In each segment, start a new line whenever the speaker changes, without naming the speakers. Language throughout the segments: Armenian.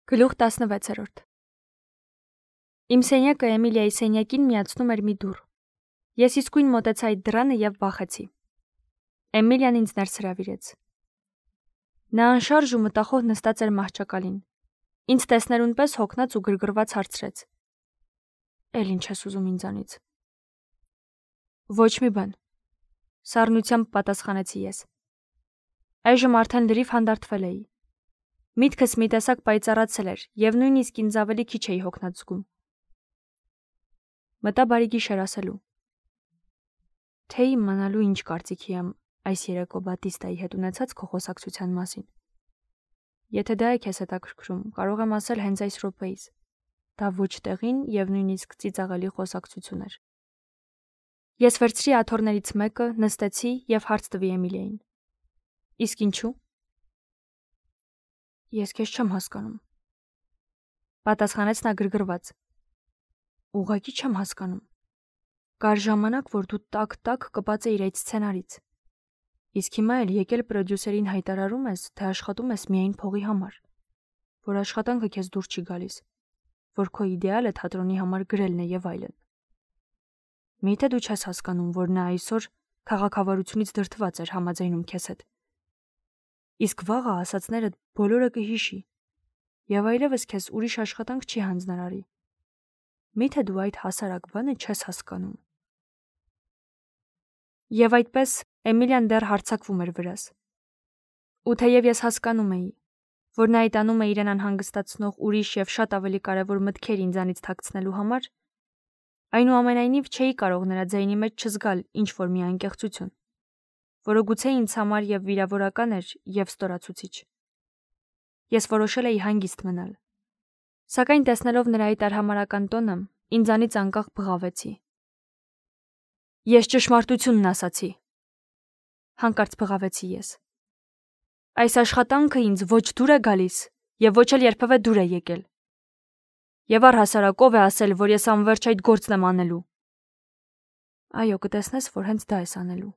Գլուխ 16-րդ Իմ սենյակը Էմիլիայի սենյակին միացնում էր մի դուռ։ Ես իսկույն մոտեցա այդ դռանը և վախեցի։ Էմիլիան ինձ ներս հրավիրեց։ Նա անշարժ ու մտախոհ նստած էր մահճակալին։ Ինձ տեսներուն պես հոգնած ու գրգռված հարցրեց. Էլ ինչ ես ուզում ինձանից։ Ոչ մի բան։ Սառնությամբ պատասխանեցի ես։ Այժմ արդեն լրիվ հանդարտվել էի։ Միտքս մի տեսակ պայծառացել էր և նույնիսկ ինձ ավելի քիչ էի հոգնած զգում։ Մտա բարի գիշեր ասելու։ Թե իմանալու ինչ կարծիքի եմ այս երեկո Բատիստայի հետ ունեցած քո խոսակցության մասին։ Եթե դա է քեզ հետաքրքրում, կարող եմ ասել հենց այս րոպեից։ Դա ոչ տեղին և նույնիսկ ծիծաղելի խոսակցություն էր։ Ես վերցրի աթոռներից մեկը, նստեցի և հարց տվի Էմիլիային։ Իսկ ինչու։ Ես քեզ չեմ հասկանում։ Պատասխանեց նա գրգռված։ Ուղղակի չեմ հասկանում։ Կար ժամանակ, որ դու տակ կպած էիր այդ սցենարից։ Իսկ հիմա էլ եկել պրոդյուսերին հայտարարում ես, թե աշխատում ես միայն փողի համար, որ աշխատանքը քեզ դուր չի գալիս, որ քո իդեալը թատրոնի համար գրելն է եւ այլն։ Միթե դու չես հասկանում, որ նա այսօր քաղաքավարությունից դրդված էր համաձայնում քեզ հետ։ Իսկ վաղը ասածներդ բոլորը կհիշի եւ այլևս քեզ ուրիշ աշխատանք չի հանձնարարի։ Միթե դու այդ հասարակ բանը չես հասկանում։ Եվ այդպես Էմիլիան դեռ հարձակվում էր վրաս։ Ու թեև ես հասկանում էի, որ նա այդ անում է իրեն անհանգստացնող ուրիշ եւ շատ ավելի կարեւոր մտքեր ինձանից թաքցնելու համար, այնուամենայնիվ չէի կարող նրա ձայնի մեջ չզգալ ինչ որ մի անկեղծություն, որը գուցե ինձ համար եւ վիրավորական էր եւ ստորացուցիչ։ Ես որոշել էի հանգիստ մնալ։ Սակայն տեսնելով նրա այդ արհամարհական տոնը, ինձանից անկախ բղավեցի։ Ես ճշմարտությունն ասացի։ Հանկարծ բղավեցի ես։ Այս աշխատանքը ինձ ոչ դուր է գալիս եւ ոչ էլ երբևէ դուր է եկել։ Եվ առհասարակ ով է ասել, որ ես անվերջ այդ գործն եմ անելու։ Այո, կտեսնես, որ հենց դա ես անելու։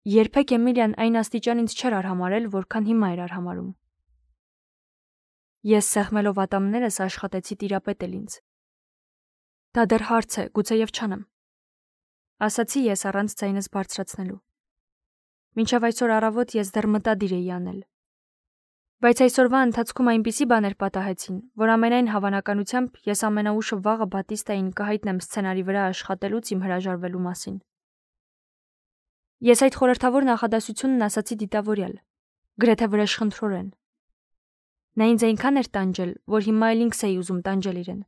Երբեք Էմիլիան այն աստիճան ինձ չէր արհամարել, որքան հիմա էր արհամարում։ Ես սեղմելով ատամներս աշխատեցի տիրապետել ինձ։ Դա դեռ հարց է, գուցեև չանեմ։ Ասացի ես առանց ձայնս բարձրացնելու։ Մինչև այսօր առավոտ ես դեռ մտադիր էի անել։ Բայց այսօրվա ընթացքում այնպիսի բաներ պատահեցին, որ ամենայն հավանականությամբ ես ամենաուշը վաղը Բատիստային կհայտնեմ սցենարի վրա աշխատելուց իմ հրաժարվելու մասին։ Ես այդ խորհրդավոր նախադասությունն ասացի դիտավորյալ, գրեթե վրեժխնդրորեն։ Նա ինձ այնքան էր տանջել, որ հիմա էլ ինքս էի ուզում տանջել իրեն,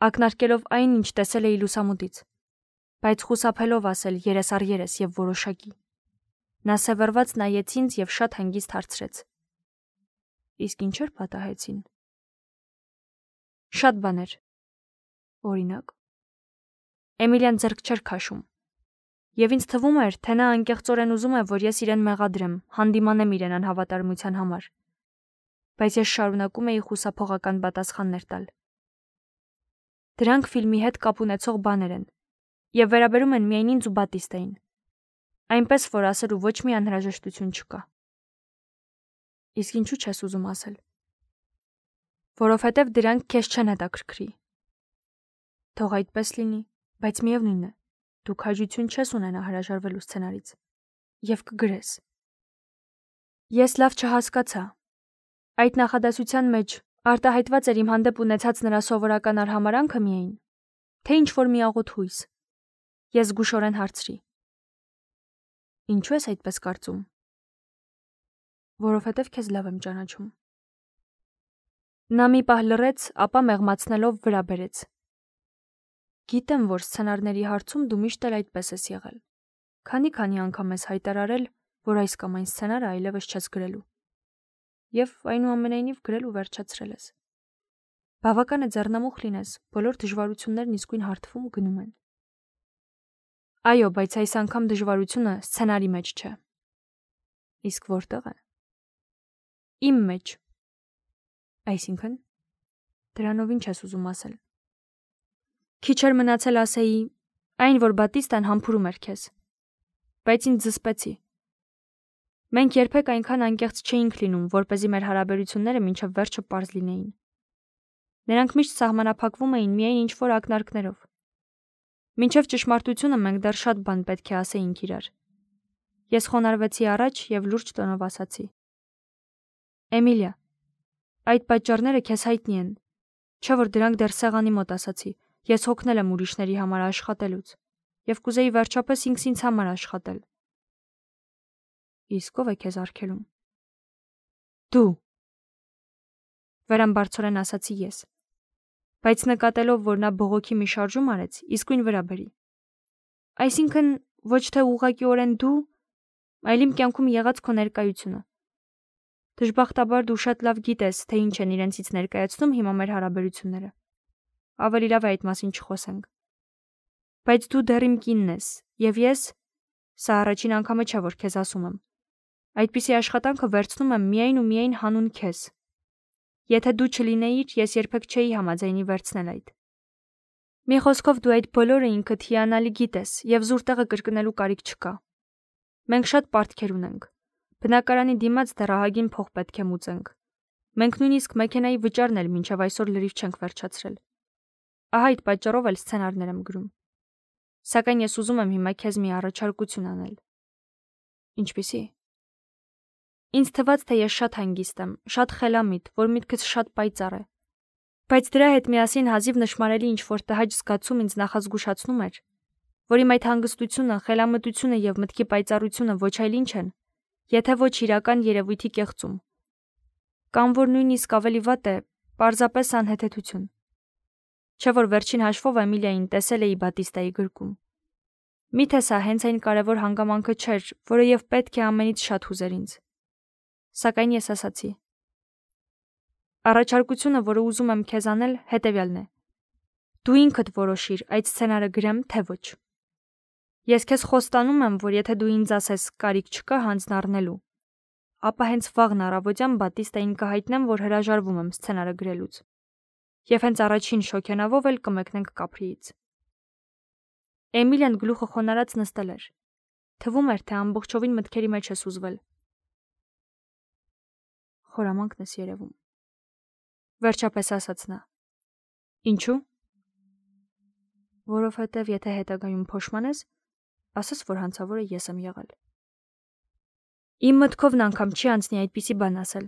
ակնարկելով այն, ինչ տեսել էի լուսամուտից, բայց խուսափելով ասել երես առ երես եւ որոշակի։ Նա սևեռված նայեց ինձ եւ շատ հանգիստ հարցրեց. Իսկ ինչեր պատահեցին։ Շատ բաներ։ Օրինակ։ Էմիլիան ձեռք չէր քաշում։ Եվ ինձ թվում էր, թե նա անկեղծորեն ուզում է, որ ես իրեն մեղադրեմ, հանդիմանեմ իրեն անհավատարմության համար։ Բայց ես շարունակում էի խուսափողական պատասխաններ տալ։ Դրանք ֆիլմի հետ կապ ունեցող բաներ են եւ վերաբերում են միայն ինձ ու Բատիստային։ Այնպես որ ասելու ոչ մի անհրաժեշտություն չկա։ Իսկ ինչու չես ուզում ասել։ Որովհետև դրանք քեզ չեն հետաքրքրի։ Թող այդպես լինի, բայց միևնույն է, դու քաջություն չես ունենա հրաժարվելու սցենարից եւ կգրես։ Ես լավ չհասկացա։ Այդ նախադասության մեջ արտահայտված էր իմ հանդեպ ունեցած նրա սովորական արհամարանքը միայն, թե ինչ որ մի աղոտ հույս։ Ես զգուշորեն հարցրի. Ինչու ես այդպես կարծում։ Որովհետև քեզ լավ եմ ճանաչում։ Նա մի պահ լռեց, ապա մեղմացնելով վրա բերեց։ Գիտեմ, որ սցենարների հարցում դու միշտ էլ այդպես ես եղել։ Քանի անգամ ես հայտարարել, որ այս կամ այն սցենարը այլևս չես գրելու։ Եվ այնուամենայնիվ գրելու վերջացրել ես։ Բավական է ձեռնամուխ լինես, բոլոր դժվարություններն իսկույն հարթվում ու գնում են։ Այո, բայց այս անգամ դժվարությունը սցենարի մեջ չէ։ Իսկ որտեղ է։ Իմ մեջ։ Այսինքն, դրանով ինչ ես ուզում ասել։ Քիչ էր մնացել ասեի, այն որ Բատիստան համբուրում էր քեզ։ Բայց ինձ զսպեցի։ Մենք երբեք այնքան անկեղծ չէինք լինում, որպեսզի մեր հարաբերությունները մինչև վերջը պարզ լինեին։ Նրանք միշտ սահմանափակվում էին միայն ինչ-որ ակնարկներով։ Մինչև ճշմարտությունը մենք դեռ շատ բան պետք է ասեինք իրար։ Ես խոնարհվեցի առաջ եւ լուրջ տոնով ասացի. Էմիլիա, այդ պատճառները քեզ հայտնի են, չէ՞ որ դրանք դեռ սեղանի մոտ ասացի։ Ես հոգնել եմ ուրիշների համար աշխատելուց եւ կուզեի վերջապես ինքս ինձ համար աշխատել։ Իսկ ով է քեզ արգելում։ Դու։ Վերամբարձորեն ասացի ես։ Բայց նկատելով, որ նա բողոքի մի շարժում արեց, իսկույն վրա բերի։ Այսինքն ոչ թե ուղղակիորեն դու, այլ իմ կյանքում եղած քո ներկայությունը։ Դժբախտաբար դու շատ լավ գիտես, թե ինչ են իրենցից ներկայացնում հիմա մեր հարաբերությունները։ Ավելի լավ է այդ մասին չխոսենք։ Բայց դու դեռ իմ կինն ես, եւ ես, սա առաջին անգամը չէ, որ քեզ ասում եմ, այդպիսի աշխատանքը վերցնում եմ միայն ու միայն հանուն քեզ։ Եթե դու չլինեիր, ես երբեք չէի համաձայնի վերցնել այդ։ Մի խոսքով դու այդ բոլորը ինքդ հիանալի գիտես եւ զուր տեղը կրկնելու կարիք չկա։ Մենք շատ պարտքեր ունենք։ Բնակարանի դիմաց դեռ ահագին փող պետք է մուծենք։ Մենք նույնիսկ մեքենայի վճարն էլ մինչև այսօր լրիվ չենք վերջացրել։ Ահա այդ պատճառով էլ սցենարներ եմ գրում։ Սակայն ես ուզում եմ հիմա քեզ մի առաջարկություն անել։ Ինչպիսի։ Ինձ թվաց, թե ես շատ հանգիստ եմ, շատ խելամիտ, որ միտքս շատ պայծառ է։ Բայց դրա հետ միասին հազիվ նշмарելի ինչ-որ տհաճ զգացում ինձ նախազգուշացնում էր, որ իմ այդ հանգստությունը, խելամտությունը եւ մտքի պայծառությունը ոչ այլ ինչ են, եթե ոչ իրական երևույթի կեղծում։ Կամ որ նույնիսկ ավելի վատ է, պարզապես անհեթեթություն։ Չէ՞ որ վերջին հաշվով Էմիլիային տեսել էի Բատիստայի գրկում։ Միթե սա հենց այն կարևոր հանգամանքը չէր, որը եւ պետք է ամենից շատ հուզեր ինձ։ Սակայն ես ասացի. Առաջարկությունը, որը ուզում եմ քեզ անել, հետևյալն է. դու ինքդ որոշիր այդ սցենարը գրեմ, թե ոչ։ Ես քեզ խոստանում եմ, որ եթե դու ինձ ասես կարիք չկա հանձն առնելու, ապա հենց վաղն առավոտյան Բատիստային կհայտնեմ, որ հրաժարվում եմ սցենարը գրելուց։ Եվ հենց առաջին շոքենավով էլ կմեկնենք Կապրիից։ Էմիլիան գլուխը խոնարհած նստել էր։ Թվում էր, թե ամբողջովին մտքերի մեջ է սուզվել։ Խորամանկն ես երևում։ Վերջապես ասաց նա. Ինչու՞։ Որովհետև եթե հետագայում փոշմանես, ասես, որ հանցավորը ես եմ եղել։ Իմ մտքովն անգամ չի անցնի այդպիսի բան ասել։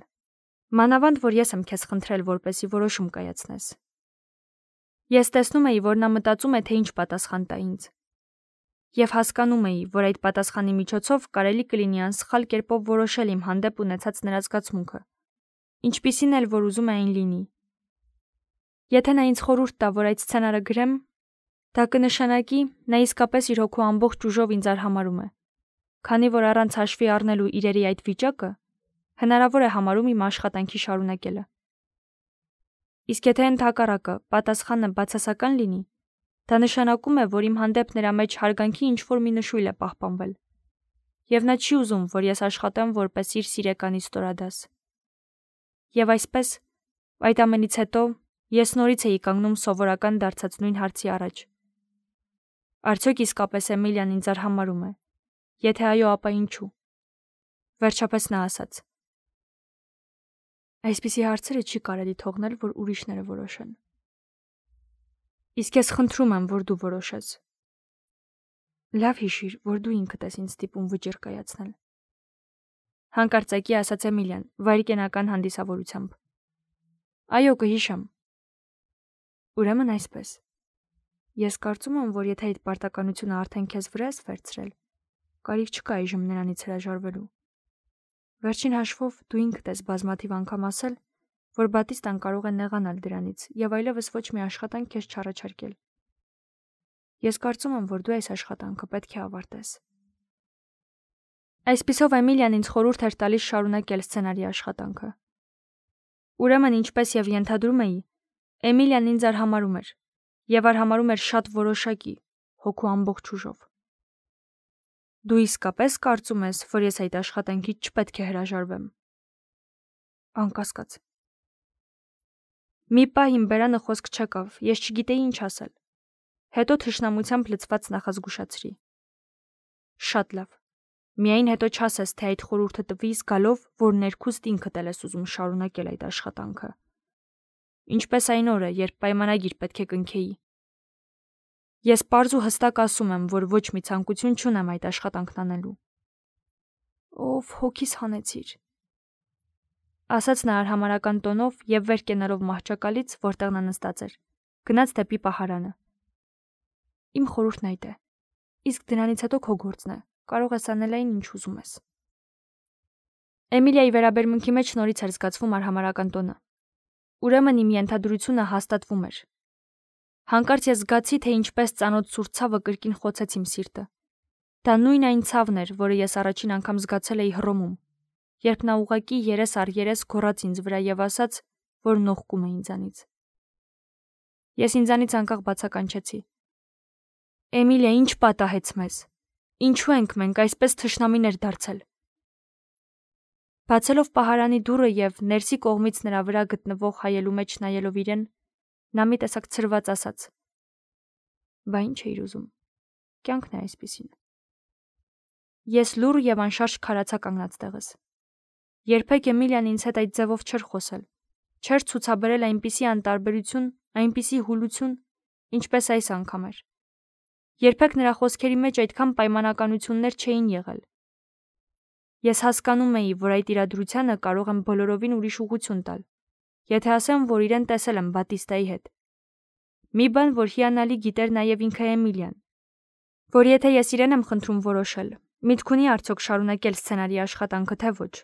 Մանավանդ, որ ես եմ քեզ խնդրել, որպեսի որոշում կայացնես։ Ես տեսնում էի, որ նա մտածում է, թե ինչ պատասխան տա ինձ։ Եվ հասկանում էի, որ այդ պատասխանի միջոցով կարելի կլինի անսխալ կերպով որոշել իմ հանդեպ ունեցած նրա զգացմունքը, ինչպիսին էլ որ ուզում է այն լինի։ Եթե նա ինձ խորհուրդ տա, որ այդ սցենարը գրեմ, դա կնշանակի, նա իսկապես իր հոգու ամբողջ ուժով ինձ արհամարհում է, քանի որ առանց հաշվի առնելու իրերի այդ վիճակը հնարավոր է համարում իմ աշխատանքի շարունակելը։ Իսկ եթե ընդհակառակը պատասխանը բացասական լինի, դա նշանակում է, որ իմ հանդեպ նրա մեջ հարգանքի ինչ-որ մի նշույլ է պահպանվել, եւ նա չի ուզում, որ ես աշխատեմ որպես իր սիրեկանի ստորադաս։ Եվ այսպես, այդ ամենից հետո ես նորից էի կանգնում սովորական դարձած նույն հարցի առաջ. Արդյոք իսկապես Էմիլիան ինձ արհամարհում է։ Եթե այո, ապա ինչու։ Վերջապես նա ասաց. Այսպիսի հարցերը չի կարելի թողնել, որ ուրիշները որոշեն։ Իսկ ես խնդրում եմ, որ դու որոշես։ Լավ հիշիր, որ դու ինքդ ես ինձ ստիպում վճիռ կայացնել։ Հանկարծակի ասաց Էմիլիան, վայրկենական հանդիսավորությամբ։ Այո, կհիշեմ։ Ուրեմն այսպես։ Ես կարծում եմ, որ եթե այդ պարտականությունը արդեն քեզ վրա ես վերցրել, կարիք չկա այժմ նրանից հրաժարվելու։ Վերջին հաշվով դու ինքդ ես բազմաթիվ անգամ ասել, որ Բատիստան կարող է նեղանալ դրանից եւ այլևս ոչ մի աշխատանք քեզ չառաջարկել։ Ես կարծում եմ, որ դու այս աշխատանքը պետք է ավարտես։ Այսպիսով Էմիլիան ինձ խորհուրդ էր տալիս շարունակել սցենարի աշխատանքը։ Ուրեմն ինչպես եւ ենթադրում էի, Էմիլիան ինձ արհամարհում էր եւ արհամարհում էր շատ որոշակի, հոգու ամբողջ ուժով։ Դու իսկապես կարծում ես, որ ես այդ աշխատանքից չպետք է հրաժարվեմ։ Անկասկած։ Մի պահ իմ բերանը խոսք չեկավ, ես չգիտեի ինչ ասել։ Հետո թշնամությամբ լցված նախազգուշացրի. Շատ լավ։ Միայն հետո չասես, թե այդ խորհուրդը տվի զգալով, որ ներքուստ ինքդ էլ ես ուզում շարունակել այդ աշխատանքը։ Ինչպես այն օրը, երբ պայմանագիր պետք է կնքեի։ Ես պարզ ու հստակ ասում եմ, որ ոչ մի ցանկություն չունեմ այդ աշխատանքն անելու։ Ով հոգիս հանեցիր, ասաց նա արհամարական տոնով եւ վեր կենալով մահճակալից, որտեղ նա նստած էր, գնաց դեպի պահարանը։ Իմ խորհուրդն այդ է։ Իսկ դրանից հետո քո գործն է։ Կարող ես անել այն, ինչ ուզում ես։ Էմիլիայի վերաբերմունքի մեջ նորից էր զգացվում արհամարական տոնը։ Ուրեմն իմ ենթադրությունը հաստատվում էր։ Հանկարծ ես զգացի, թե ինչպես ծանոթ սուր ցավը կրկին խոցեց իմ սիրտը։ Դա նույն այն ցավն էր, որը ես առաջին անգամ զգացել էի Հռոմում, երբ նա ուղղակի երես առ երես գոռաց ինձ վրա եւ ասաց, որ նողկում է ինձանից։ Ես ինձանից անկախ բացականչեցի։ Էմիլիա, ինչ պատահեց մեզ։ Ինչու ենք մենք այսպես թշնամիներ դարձել։ Բացելով պահարանի դուռը եւ ներսի կողմից նրա վրա գտնվող հայելու մեջ նայելով իրեն, նա մի տեսակ ցրված ասաց. Բա ինչ էիր ուզում։ Կյանքն է այսպիսին։ Ես լուռ եւ անշարժ քարացա կանգնած տեղս։ Երբեք Էմիլիան ինձ հետ այդ ձևով չէր խոսել։ Չէր ցուցաբերել այնպիսի անտարբերություն, այնպիսի հուլություն, ինչպես այս անգամ էր։ Երբեք նրա խոսքերի մեջ այդքան պայմանականություններ չէին եղել։ Ես հասկանում էի, որ այդ իրադրությանը կարող եմ բոլորովին ուրիշ ուղղություն տալ, եթե ասեմ, որ իրեն տեսել եմ Բատիստայի հետ։ Մի բան, որ հիանալի գիտեր նաև ինքը Էմիլիան, որ եթե ես իրեն եմ խնդրում որոշել, միտք ունի արդյոք շարունակել սցենարի աշխատանքը, թե ոչ,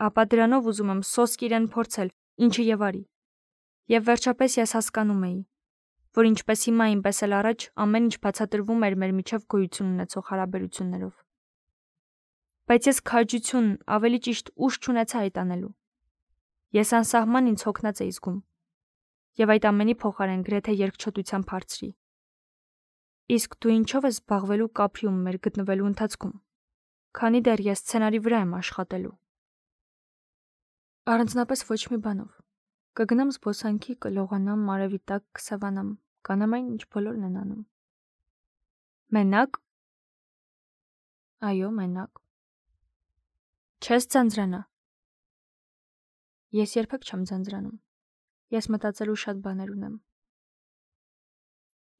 ապա դրանով ուզում եմ սոսկ իրեն փորձել, ինչը եւ արի։ Եվ վերջապես ես հասկանում էի, որ ինչպես հիմա, այնպես էլ առաջ ամեն ինչ բացատրվում էր մեր միջև գոյություն ունեցող հարաբերություններով։ Բայց ես քաջություն, ավելի ճիշտ ուժ չունեցա այդ անելու։ Ես անսահման ինձ հոգնած էի զգում, եւ այդ ամենի փոխարեն գրեթե երկչոտությամբ հարցրի. Իսկ դու ինչով ես զբաղվելու Կապրիում մեր գտնվելու ընթացքում, քանի դեռ ես սցենարի վրա եմ աշխատելու։ Առանձնապես ոչ մի բանով։ Կգնամ զբոսանքի, կլողանամ, արևի տակ կսավանամ, կանեմ այն, ինչ բոլորն են անում։ Մենակ։ Այո, մենակ։ Չես ձանձրանա։ Ես երբեք չեմ ձանձրանում։ Ես մտածելու շատ բաներ ունեմ։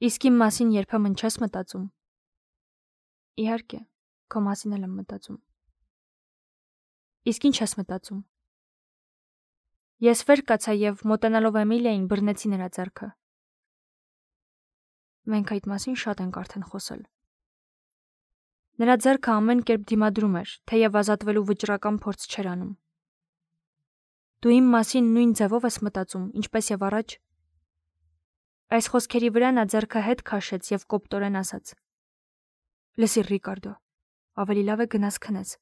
Իսկ իմ մասին երբեմն չես մտածում։ Իհարկե, քո մասին էլ եմ մտածում։ Իսկ ինչ ես մտածում։ Ես վեր կացա եւ մոտենալով Էմիլիային բռնեցի նրա ձեռքը։ Մենք այդ մասին շատ ենք արդեն խոսել։ Նրա ձեռքը ամեն կերպ դիմադրում էր, թեև ազատվելու վճռական փորձ չէր անում։ Դու իմ մասին նույն ձևով ես մտածում, ինչպես եւ առաջ։ Այս խոսքերի վրա նա ձեռքը հետ քաշեց եւ կոպտորեն ասաց. Լսիր, Ռիկարդո, ավելի լավ է գնաս քնես։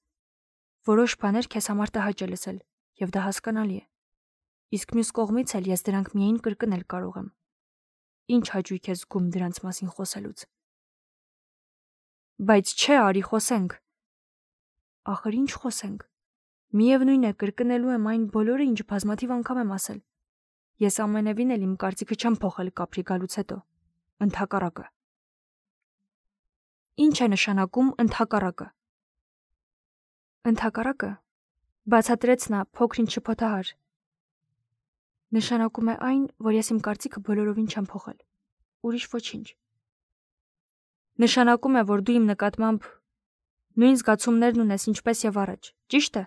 Որոշ բաներ քեզ համար տհաճ է լսել, եւ դա հասկանալի է։ Իսկ մյուս կողմից էլ ես դրանք միայն կրկնել կարող եմ։ Ինչ հաճույք է զգում դրանց մասին խոսելուց։ Բայց չէ, արի խոսենք։ Ախր ինչ խոսենք։ Միևնույն է, կրկնելու եմ այն բոլորը, ինչ բազմաթիվ անգամ եմ ասել։ Ես ամենևին էլ իմ կարծիքը չեմ փոխել Կապրի գալուց հետո։ Ընդհակառակը։ Ինչ է նշանակում ընդհակառակը։ Ընդհակառակը, բացատրեց նա փոքրինչ շփոթահար։ Նշանակում է այն, որ ես իմ կարծիքը բոլորովին չեմ փոխել։ Ուրիշ ոչինչ։ Նշանակում է, որ դու իմ նկատմամբ նույն զգացումներն ունես, ինչպես եւ առաջ, ճիշտ է։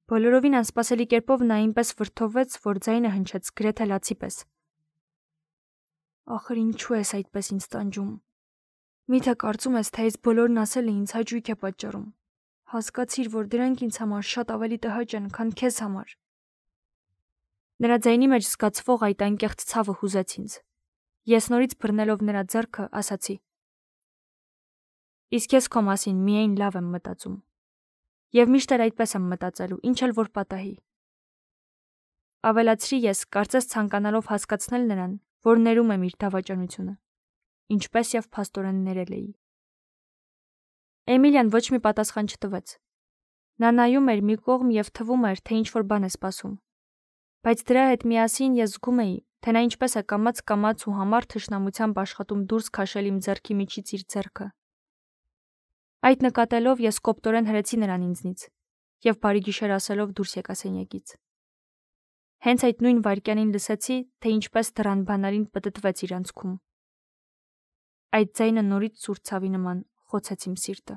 Բոլորովին անսպասելի կերպով նա այնպես վրդովվեց, որ ձայնը հնչեց գրեթե լացի պես։ Ախր ինչու ես այդպես ինձ տանջում։ Միթե կարծում ես, թե այս բոլորն ասելը ինձ հաճույք է պատճառում։ Հասկացիր, որ դրանք ինձ համար շատ ավելի տհաճ են, քան քեզ համար։ Նրա ձայնի մեջ զգացվող այդ անկեղծ ցավը հուզեց ինձ։ Ես նորից բռնելով նրա ձեռքը, ասացի. Իսկ ես քո մասին միայն լավ եմ մտածում։ Եվ միշտ էլ այդպես եմ մտածելու, ինչ էլ որ պատահի։ Ավելացրի ես, կարծես ցանկանալով հասկացնել նրան, որ ներում եմ իր դավաճանությունը, ինչպես եւ փաստորեն ներել էի։ Էմիլիան ոչ մի պատասխան չտվեց։ Նա նայում էր մի կողմ եւ թվում էր, թե ինչ որ բան է սպասում։ Բայց դրա հետ միասին ես զգում էի, թե նա ինչպես է կամաց ու համառ թշնամությամբ աշխատում դուրս քաշել իմ ձեռքի միջից իր ձեռքը։ Այդ նկատելով ես կոպտորեն հրեցի նրան ինձնից և բարի գիշեր ասելով դուրս եկա սենյակից։ Հենց այդ նույն վայրկյանին լսեցի, թե ինչպես դռան բանալին պտտվեց իր անցքում։ Այդ ձայնը նորից սուր ցավի նման խոցեց իմ սիրտը։